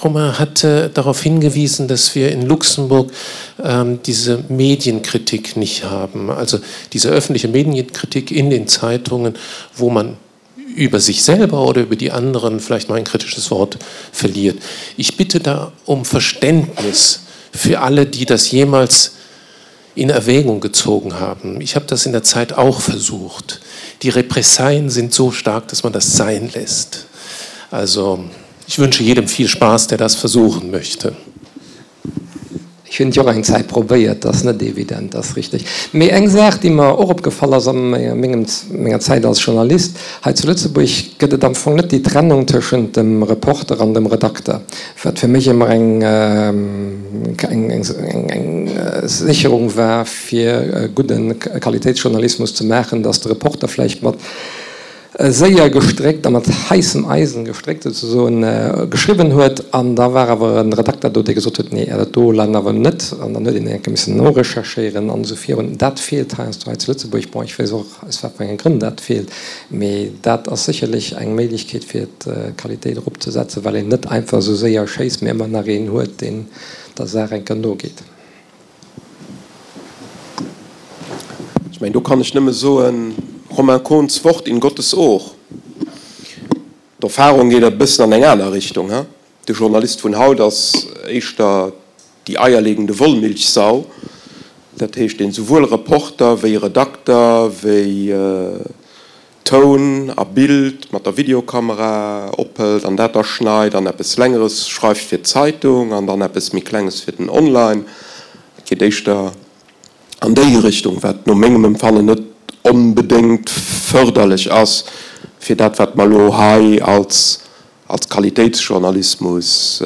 Romain hat darauf hingewiesen, dass wir in Luxemburg ähm, diese Medienkritik nicht haben. Also diese öffentliche Medienkritik in den Zeitungen, wo man über sich selber oder über die anderen vielleicht mal ein kritisches Wort verliert. Ich bitte da um Verständnis für alle, die das jemals in Erwägung gezogen haben. Ich habe das in der Zeit auch versucht. Die Repressalien sind so stark, dass man das sein lässt. Also ich wünsche jedem viel Spaß, der das versuchen möchte. Ech hunn et jo och eng Zäit probéiert, dat ass net evident, dat ass richteg. Mee eng Saach, déi mer och opgefall ass a mengem, menger Zäit als Journalist hei zu Lëtzebuerg, gëtt et am Fong net déi Trennung tëschent dem Reporter an dem Redakter, wat fir mech ëmmer eng, eng, eng Sécherung war, fir gudde Qualitéitsjournalismus ze maachen, datt de Reporter vläicht mat séier gestréckt a mat heissem Eisen gestréckt souzesoen, geschriwwen huet. An da war awer e Redakter do, dee gesot huet, Nee, dat do laang awer net. An dann huet een enke missen norecherchéieren an esou virun. Dat feelt heiansdo hei zu Lëtzebuerg. Bon, ech weess och, aus wat fir enge Grënn dat feelt, mee dat ass sécherlech eng Méiglechkeet, fir d'Qualitéit eropzesetzen, well een net einfach esou séier schéisst, mee ëmmer nach een huet, deen der Saach enker nogeet. Ech mengen, do kann ech nëmme soen, Romain Kohns Wort in Gottes Ohr. D'Erfahrung geet e bëssen an eng aner Richtung. De Journalist vun haut ass éischter déi eierlegende Wollmilchsau, dat heescht, deen souwuel Reporter wéi Redakter wéi Toun a Bild mat der Videokamera ophëlt an dat da schneit an eppes Längeres schreift fir d'Zeitung an dann eppes méi Klenges fir den Online. Et geet éischter an déi Richtung, wat no mengem Empfannen net onbedéngt fërderlech ass fir dat, wat mer elo hei als als Qualitéitsjournalismus.